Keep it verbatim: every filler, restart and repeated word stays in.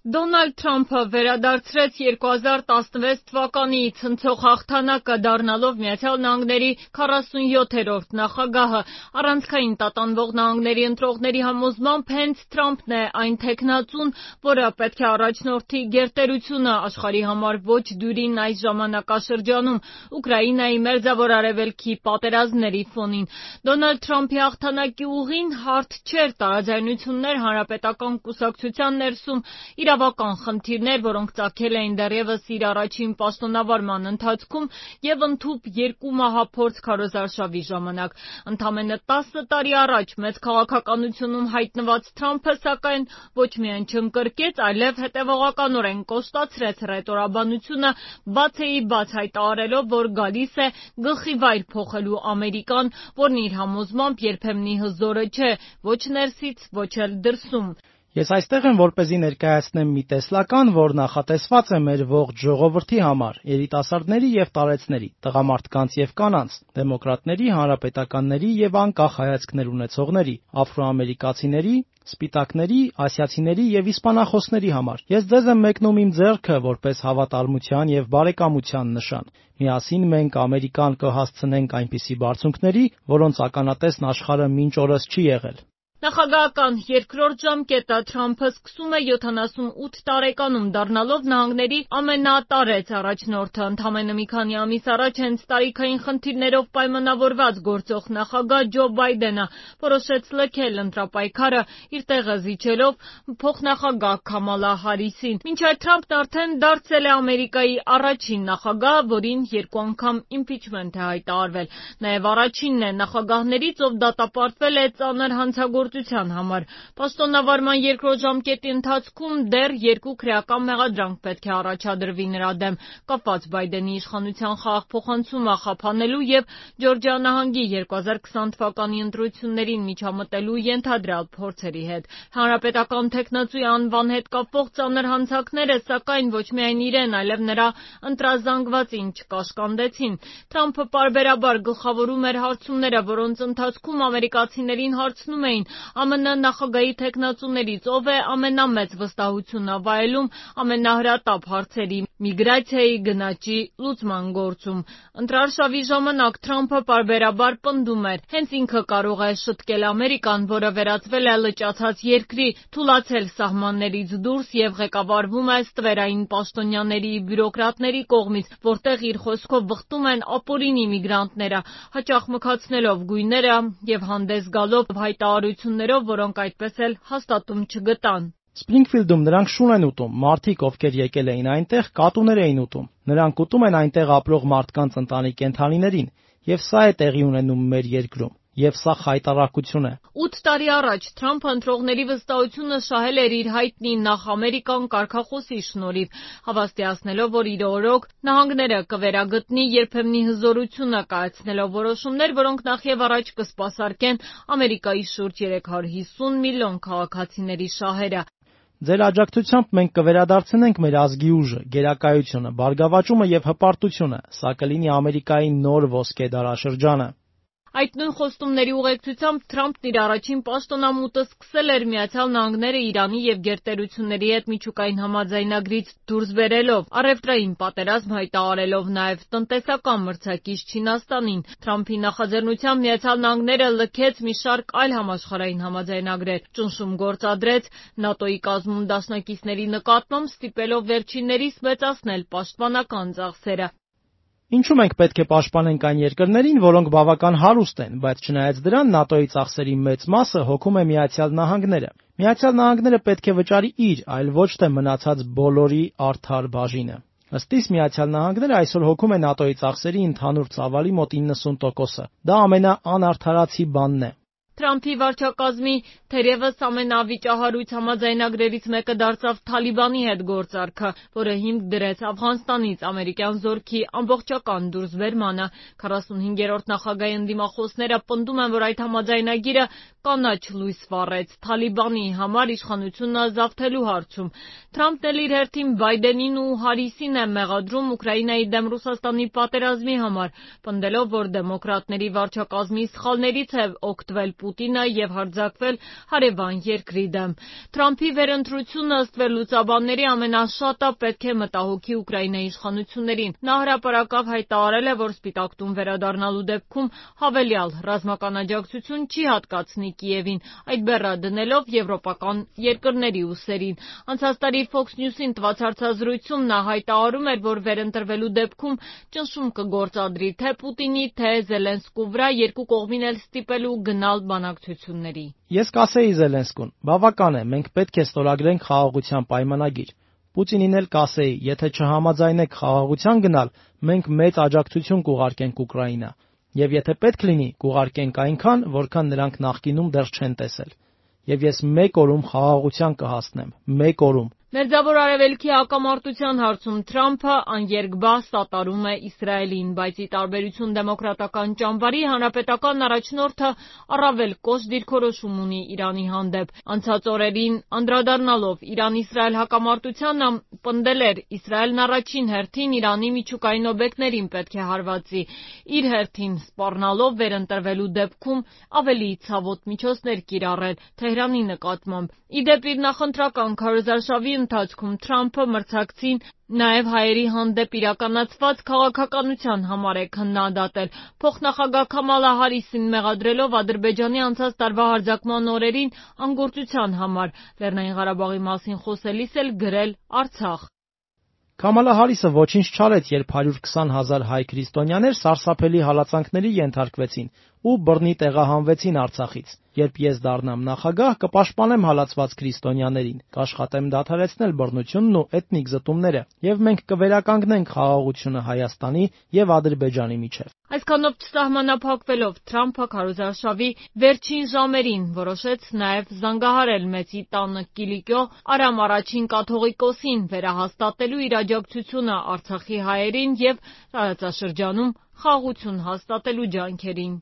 Դոնալդ Թրամփը վերադարձրեց երկու հազար տասնվեց թվականի ցնցող հաղթանակը, դառնալով Միացյալ Նահանգների քառասունյոթերորդ նախագահը։ Առանցքային տատանվող նահանգների ընտրողների համոզմամբ հենց Թրամփն է այն թեկնածուն, որը պետք է առաջնորդի գերտերությունը աշխարհի համար ոչ դյուրին այս ժամանակաշրջանում Ուկրաինայի մերձավոր արևելքի պատերազմների ֆոնին։ Դոնալդ Թրամփի հաղթանակի ուղին հարթ չէր, տարաձայնություններ հանրապետական կուսակցության ներսում, իրավական խնդիրներ, որոնք ծագել էին դեռևս իր առաջին պաշտոնավարման ընթացքում և ընդհուպ երկու մահափորձ քարոզարշավի ժամանակ։ Ընդամենը տասը տարի առաջ մեծ քաղաքականությունում հայտնված Թրամփը, սակայն, ոչ միայն չընկրկեց, այլև հետևողականորեն կոշտացրեց հռետորաբանությունը, բացեիբաց հայտարարելով, որ գալիս է գլխիվայր փոխելու Ամերիկան, որն իր համոզմամբ երբեմնի հզորը չէ, ոչ ներսից, ոչ էլ դրսում։ Ես այստեղ եմ, որպեսզի ներկայացնեմ մի տեսլական, որ նախատեսված է մեր ողջ ժողովրդի համար, երիտասարդների և տարեցների, տղամարդկանց և կանանց, դեմոկրատների, հանրապետականների և անկախ հայացքներ ունեցողների, աֆրոամերիկացիների, սպիտակների, ասիացիների և իսպանախոսների համար։ Ես ձեզ եմ մեկնում իմ ձեռքը որպես հավատարմության և բարեկամության նշան։ Միասին մենք Ամերիկան կհասցնենք այնպիսի բարձունքների, որոնց ականատեսն աշխարհը մինչ օրս չի եղել։ Նախագահական երկրորդ ժամկետը Թրամփը սկսում է յոթանասունութ տարեկանում, դառնալով նահանգների ամենատարեց առաջնորդը։ Ընդամենը մի քանի ամիս առաջ հենց տարիքային խնդիրներով պայմանավորված գործող նախագահ Ջո Բայդենը որոշեց լքել ընտրապայքարը, իր տեղը զիջելով փոխնախագահ Քամալա Հարիսին։ Մինչդեռ Թրամփն արդեն դարձել է Ամերիկայի առաջին նախագահը, որին երկու անգամ իմպիչմենտ է հայտարարվել։ Նաև առաջինն է նախագահներից, ով դատապարտվել է ծանր հանցագործության համար։ Պաշտոնավարման երկրորդ ժամկետի ընթացքում դեռ երկու քրեական մեղադրանք պետք է առաջադրվի նրա դեմ, կապված Բայդենի իշխանության խաղաղփոխանցումը խափանելու և Ջորջիա նահանգի երկու հազար քսան թվականի ընտրություններին միջամտելու ենթադրյալ փորձերի հետ։ Հանրապետական թեկնածուի անվան հետ կապվող ծանր հանցանքները, սակայն, ոչ միայն իրեն, այլև նրա ընտրազանգվածին չկաշկանդեցին։ Թրամփը պարբերաբար գլխավորում էր հարցումները, որոնց ընթացքում ամերիկացիներին հարցնում էին ԱՄՆ նախագահի թեկնածուներից ով է ամենամեծ վստահությունը վայելում ամենահրատապ հարցերի՝ միգրացիայի, գնաճի լուծման գործում։ Ընտրարշավի ժամանակ Թրամփը պարբերաբար պնդում էր, հենց ինքը կարող է շտկել Ամերիկան, որը վերածվել է լճացած երկրի, թուլացել սահմաններից դուրս և ղեկավարվում է ստվերային պաշտոնյաների, բյուրոկրատների կողմից, որտեղ իր խոսքով վխտում են ապօրինի միգրանտները, հաճախ մքացնելով գույները և հանդես գալով հայտարարություններով, որոնք այդպես էլ հաստատում չգտան։ Սփրինգֆիլդում նրանք շուն են ուտում, մարդիկ, ովքեր եկել էին այնտեղ, կատուներ էին ուտում։ Նրանք ուտում են այնտեղ ապրող մարդկանց ընտանի կենդանիներին, և սա է տեղի ունենում մեր երկրում։ Եվ սա խայտառակություն է։ Ութ տարի առաջ Թրամփը ընտրողների վստահությունը շահել էր իր հայտնի «Նախ Ամերիկան» կարգախոսի շնորհիվ, հավաստիացնելով, որ իր օրոք նահանգները կվերագտնի երբեմնի հզորությունը, կայացնելով որոշումներ, որոնք նախևառաջ կսպասարկեն Ամերիկայի շուրջ երեք հարյուր հիսուն միլիոն քաղաքացիների շահերը։ Ձեր աջակցությամբ մենք կվերադարձնենք մեր ազգի ուժը, գերակայությունը, բարգավաճումը և հպարտությունը։ Սա կլինի Ամերիկայի նոր ոսկե դարաշրջանը։ Այդ նույն խոստումների ուղեկցությամբ Թրամփն իր առաջին պաշտոնամուտը սկսել էր Միացյալ Նահանգները Իրանի և գերտերությունների հետ միջուկային համաձայնագրից դուրս բերելով, առևտրային պատերազմ հայտարարելով, նաև տնտեսական մրցակից Չինաստանին։ Թրամփի նախաձեռնությամբ Միացյալ Նահանգները լքեց մի շարք այլ համաշխարհային համաձայնագրեր, ճնշում գործադրեց ՆԱՏՕ-ի կազմում դաշնակիցների նկատմամբ, ստիպելով վերջիններիս մեծացնել պաշտպանական ծախսերը։ Ինչու մենք պետք է պաշտպանենք այն երկրներին, որոնք բավական հարուստ են, բայց չնայած դրան ՆԱՏՕ-ի ծախսերի մեծ մասը հոգում է Միացյալ Նահանգները։ Միացյալ Նահանգները պետք է վճարի իր, այլ ոչ թե մնացած բոլորի արդար բաժինը։ Ըստ իս Միացյալ Նահանգները այսօր հոգում է ՆԱՏՕ-ի ծախսերի ընդհանուր ծավալի մոտ իննսուն տոկոսը։ Դա ամենաանարդարացի բանն է։ Թրամփի վարչակազմի թերևս ամենավիճահարույց համաձայնագրերից մեկը դարձավ Թալիբանի հետ գործարքը, որը հիմք դրեց Աֆղանստանից ամերիկյան զորքի ամբողջական դուրսբերմանը։ քառասունհինգերորդ նախագահի ընդդիմախոսները պնդում են, որ այդ համաձայնագիրը կանաչ լույս վառեց Թալիբանի համար իշխանությունը ազատելու հարցում։ Թրամփն էլ իր հերթին Բայդենին ու Հարիսին է մեղադրում Ուկրաինայի դեմ Ռուսաստանի պատերազմի համար, պնդելով, որ դեմոկրատների վարչակազմի սխալներից է օգտվել Պուտինը եւ հարձակվել հարևան երկրի դեմ։ Թրամփի վերընտրությունը ըստ վերլուծաբանների ամենաշատը պետք է մտահոգի Ուկրաինայի իշխանություններին։ Նա հրապարակավ հայտարարել է, որ Սպիտակ տուն վերադառնալու դեպքում հավելյալ ռազմական աջակցություն չի հատկացնի Կիևին, այդ բեռը դնելով եվրոպական երկրների ուսերին։ Անցած տարի Fox News-ին տված հարցազրույցում նա հայտարարում էր, որ վերընտրվելու դեպքում ճնշում կգործադրի թե Պուտինի, թե Զելենսկու վրա, երկու կողմին էլ ստիպելու գնալ բանակցությունների։ Ես կասեի Զելենսկուն. բավական է, մենք պետք է ստորագրենք խաղաղության պայմանագիր։ Պուտինին էլ կասեի, եթե չհամաձայնեք խաղաղության գնալ, մենք մեծ աջակցություն կուղարկենք Ուկրաինա, եւ եթե պետք լինի, կուղարկենք այնքան, որքան նրանք նախկինում դեռ չեն տեսել։ Եվ ես մեկ օրում խաղաղության կհասնեմ, մեկ օրում։ Մերձավոր Արևելքի հակամարտության հարցում Թրամփը աներկբա սատարում է Իսրայելին, բայց ի տարբերություն դեմոկրատական ճամբարի, հանրապետական առաջնորդը առավել կոշտ դիրքորոշում ունի Իրանի հանդեպ։ Անցած օրերին անդրադառնալով Իրան-Իսրայել հակամարտությանը, պնդել էր Իսրայելն առաջին հերթին Իրանի միջուկային օբյեկտներին պետք է հարվածի, իր հերթին սպառնալով վերընտրվելու դեպքում ավելի ցավոտ միջոցներ կիրառել Թեհրանի նկատմամբ։ Ի դեպ, իր նախընտրական քարոզարշավի ընթացքում Թրամփը մրցակցին նաև հայերի հանդեպ իրականացված քաղաքականության համար է քննադատել։ Փոխնախագահ Քամալա Հարիսին մեղադրելով Ադրբեջանի անցած տարվա հարձակման օրերին անգործության համար, Լեռնային Ղարաբաղի մասին խոսելիս էլ գրել Արցախ։ Քամալա Հարիսը ոչինչ չարեց, երբ հարյուր քսան հազար հայ քրիստոնյաներ սարսափելի հալածանքների ենթարկվեցին ու բռնի տեղահանվեցին Արցախից։ Երբ ես դառնամ նախագահ, կպաշտպանեմ հալածված քրիստոնյաներին, կաշխատեմ դադարեցնել բռնությունն ու էթնիկ զտումները, եւ մենք կվերականգնենք խաղաղությունը Հայաստանի եւ Ադրբեջանի միջեւ։ Այսքանով չսահմանափակվելով Թրամփը քարոզարշավի վերջին ժամերին որոշեց նաև զանգահարել Մեծի տանը Կիլիկիո Արամ առաջին կաթողիկոսին վերահաստատելու իր աջակցությունը Արցախի հայերին եւ տարածաշրջանում խաղաղություն հաստատելու ջանքերին։